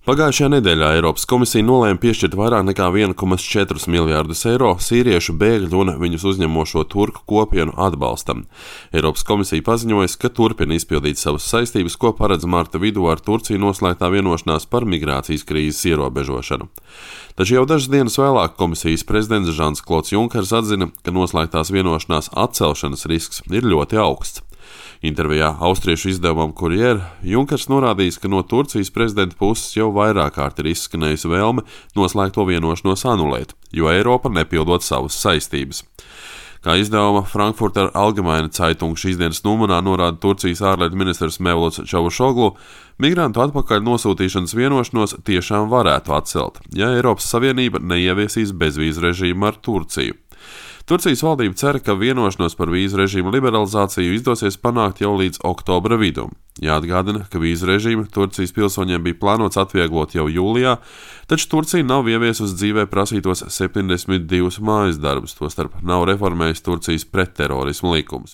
Pagājušajā nedēļā Eiropas komisija nolēma piešķirt vairāk nekā 1,4 miljārdus eiro sīriešu bēgļu un viņus uzņemošo turku kopienu atbalstam. Eiropas komisija paziņojas, ka turpina izpildīt savas saistības, ko paredz marta vidū ar Turciju noslēgtā vienošanās par migrācijas krīzes ierobežošanu. Taču jau dažas dienas vēlāk komisijas prezidents Žans-Klods Junkers atzina, ka noslēgtās vienošanās atcelšanas risks ir ļoti augsts. Intervijā austriešu izdevumam Kurjer Junkers norādījis, ka no Turcijas prezidenta puses jau vairāk kārt ir izskanējusi vēlme noslēgto vienošanos anulēt, jo Eiropa nepildot savas saistības. Kā izdevuma Frankfurter Allgemeine Zeitung šīs dienas numurā norāda Turcijas ārlietu ministrs Mevluts Čavušoglu, migrantu atpakaļ nosūtīšanas vienošanos tiešām varētu atcelt, ja Eiropas Savienība neieviesīs bezvīzu režīmu ar Turciju. Turcijas valdība cer, ka vienošanos par vīzu režīmu liberalizāciju izdosies panākt jau līdz oktobra vidum. Jāatgādina, ka vīzu režīmu Turcijas pilsoņiem bija plānots atvieglot jau jūlijā, taču Turcija nav ieviesusi dzīvē prasītos 72 mājas darbus, tostarp nav reformējis Turcijas pretterorismu likumus.